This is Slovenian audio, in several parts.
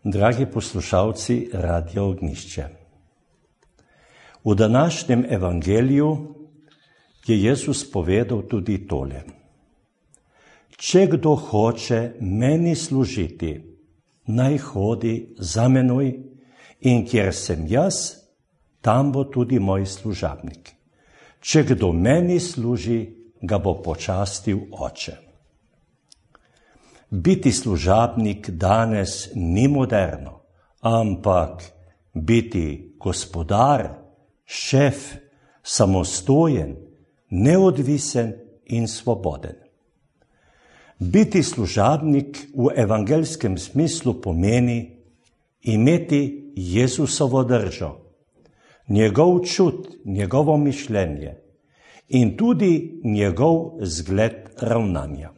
Dragi poslušalci Radia Ognjišče, v današnjem evangeliju je Jezus povedal tudi tole. Če kdo hoče meni služiti, naj hodi za menoj, in kjer sem jaz, tam bo tudi moj služabnik. Če kdo meni služi, ga bo počastil Oče. Biti služabnik danes ni moderno, ampak biti gospodar, šef, samostojen, neodvisen in svoboden. Biti služabnik v evangelskem smislu pomeni imeti Jezusovo držo, njegov čut, njegovo mišljenje in tudi njegov zgled ravnanja.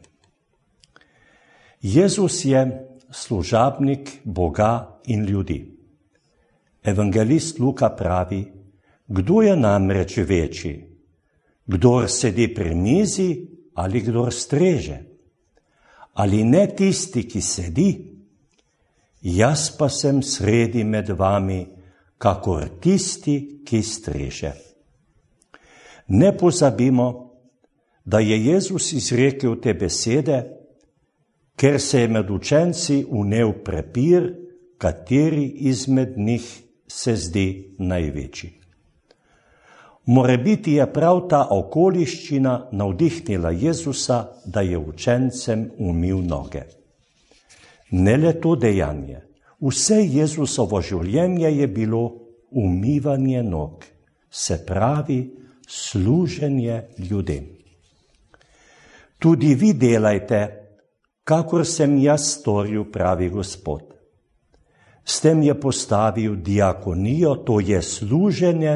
Jezus je služabnik Boga in ljudi. Evangelist Luka pravi, kdo je namreč večji, kdor sedi pri mizi ali kdor streže, ali ne tisti, ki sedi, jaz pa sem sredi med vami, kakor tisti, ki streže. Ne pozabimo, da je Jezus izrekel te besede, ker se je med učenci vnel prepir, kateri izmed njih se zdi največji. Morebiti je prav ta okoliščina navdihnila Jezusa, da je učencem umil noge. Ne le to dejanje, vse Jezusovo življenje je bilo umivanje nog, se pravi služenje ljudem. Tudi vi delajte, kakor sem jaz storil, pravi Gospod. S tem je postavil diakonijo, to je služenje,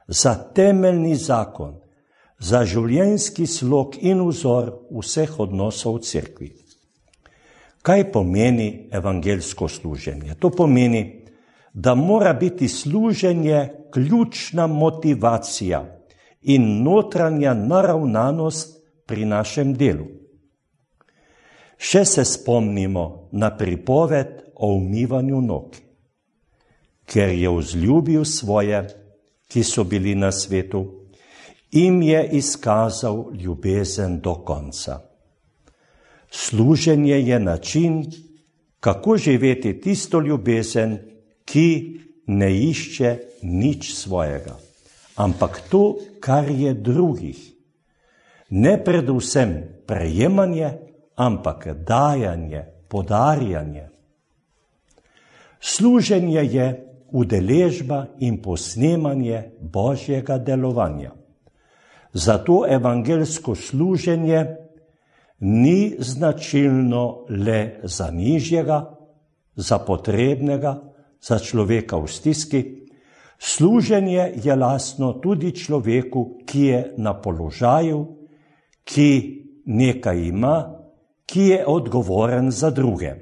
za temeljni zakon, za življenjski slog in vzor vseh odnosov v cerkvi. Kaj pomeni evangelsko služenje? To pomeni, da mora biti služenje ključna motivacija in notranja naravnanost pri našem delu. Še se spomnimo na pripoved o umivanju nog, ker je vzljubil svoje, ki so bili na svetu, jim je izkazal ljubezen do konca. Služenje je način, kako živeti tisto ljubezen, ki ne išče nič svojega, ampak to, kar je drugih. Ne predvsem prejemanje, ampak dajanje, podarjanje. Služenje je udeležba in posnemanje Božjega delovanja. Zato evangelsko služenje ni značilno le za nižjega, za potrebnega, za človeka v stiski. Služenje je lastno tudi človeku, ki je na položaju, ki nekaj ima, ki je odgovoren za druge.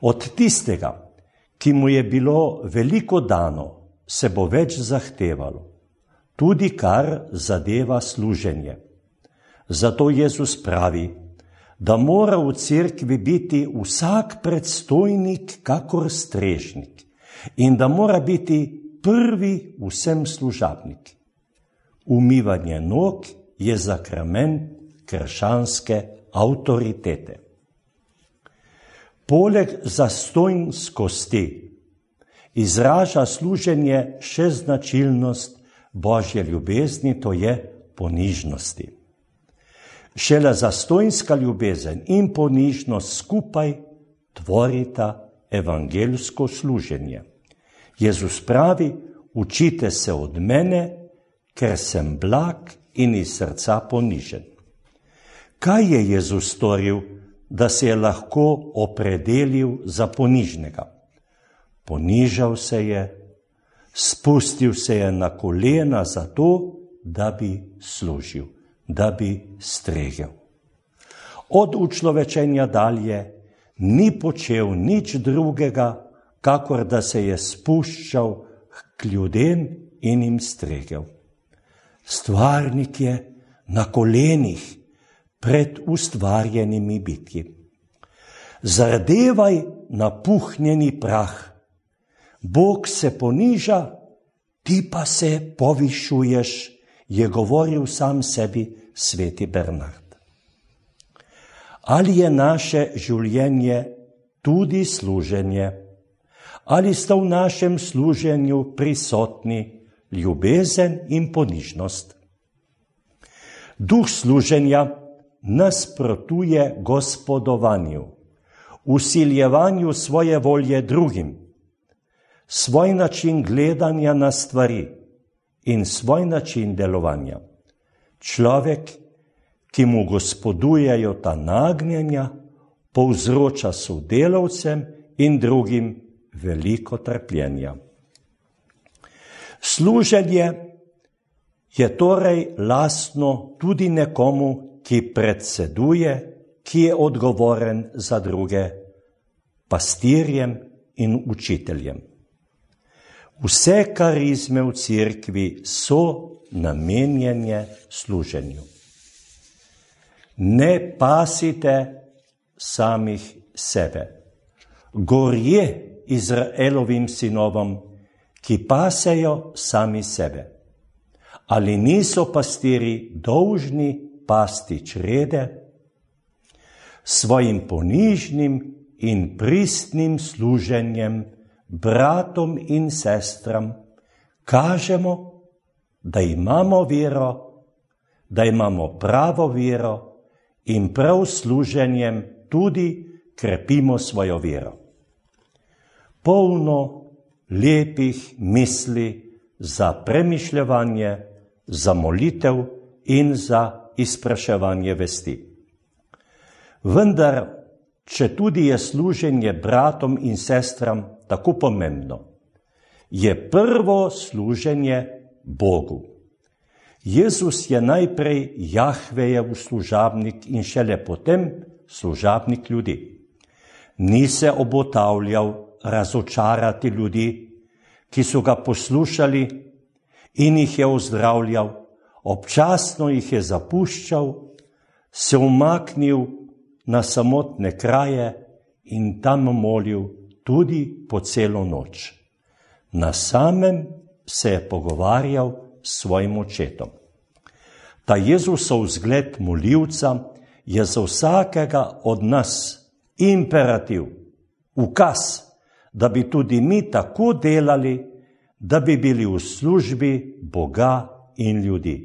Od tistega, ki mu je bilo veliko dano, se bo več zahtevalo, tudi kar zadeva služenje. Zato Jezus pravi, da mora v cerkvi biti vsak predstojnik kakor strežnik in da mora biti prvi vsem služabnik. Umivanje nog je sakrament krščanske avtoritete. Poleg zastonjskosti izraža služenje še značilnost Božje ljubezni, to je ponižnosti. Šele zastonjska ljubezen in ponižnost skupaj tvorita evangelsko služenje. Jezus pravi, učite se od mene, ker sem blag in iz srca ponižen. Kaj je Jezus storil, da se je lahko opredelil za ponižnega? Ponižal se je, spustil se je na kolena zato, da bi služil, da bi stregel. Od učlovečenja dalje ni počel nič drugega, kakor da se je spuščal k ljudem in jim stregel. Stvarnik je na kolenih pred ustvarjenimi bitji. Zardevaj napuhnjeni prah. Bog se poniža, ti pa se povišuješ, je govoril sam sebi sveti Bernard. Ali je naše življenje tudi služenje? Ali sta v našem služenju prisotni ljubezen in ponižnost? Duh služenja nasprotuje gospodovanju, vsiljevanju svoje volje drugim, svoj način gledanja na stvari in svoj način delovanja. Človek, ki mu gospodujejo ta nagnjenja, povzroča sodelavcem in drugim veliko trpljenja. Služenje je torej lastno tudi nekomu, ki predseduje, ki je odgovoren za druge, pastirjem in učiteljem. Vse karizme v cerkvi so namenjene služenju. Ne pasite samih sebe. Gorje Izraelovim sinovom, ki pasejo sami sebe. Ali niso pastiri dolžni pasti črede? Svojim ponižnim in pristnim služenjem bratom in sestram kažemo, da imamo vero, da imamo pravo vero in prav služenjem tudi krepimo svojo vero. Polno lepih misli za premišljevanje, za molitev in za izpraševanje vesti. Vendar, če tudi je služenje bratom in sestram tako pomembno, je prvo služenje Bogu. Jezus je najprej Jahvejev služabnik in šele potem služabnik ljudi. Ni se obotavljal razočarati ljudi, ki so ga poslušali in jih je ozdravljal, občasno jih je zapuščal, se umaknil na samotne kraje in tam molil tudi po celo noč. Na samem se je pogovarjal s svojim očetom. Ta Jezusov vzgled molilca je za vsakega od nas imperativ, ukaz, da bi tudi mi tako delali, da bi bili v službi Boga in ljudi.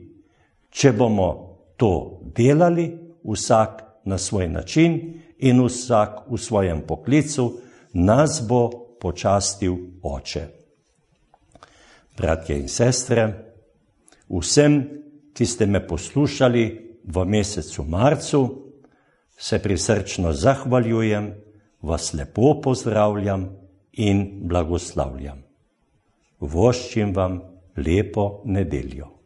Če bomo to delali, vsak na svoj način in vsak v svojem poklicu, nas bo počastil Oče. Bratje in sestre, vsem, ki ste me poslušali v mesecu marcu, se prisrčno zahvaljujem, vas lepo pozdravljam in blagoslavljam. Voščim vam lepo nedeljo.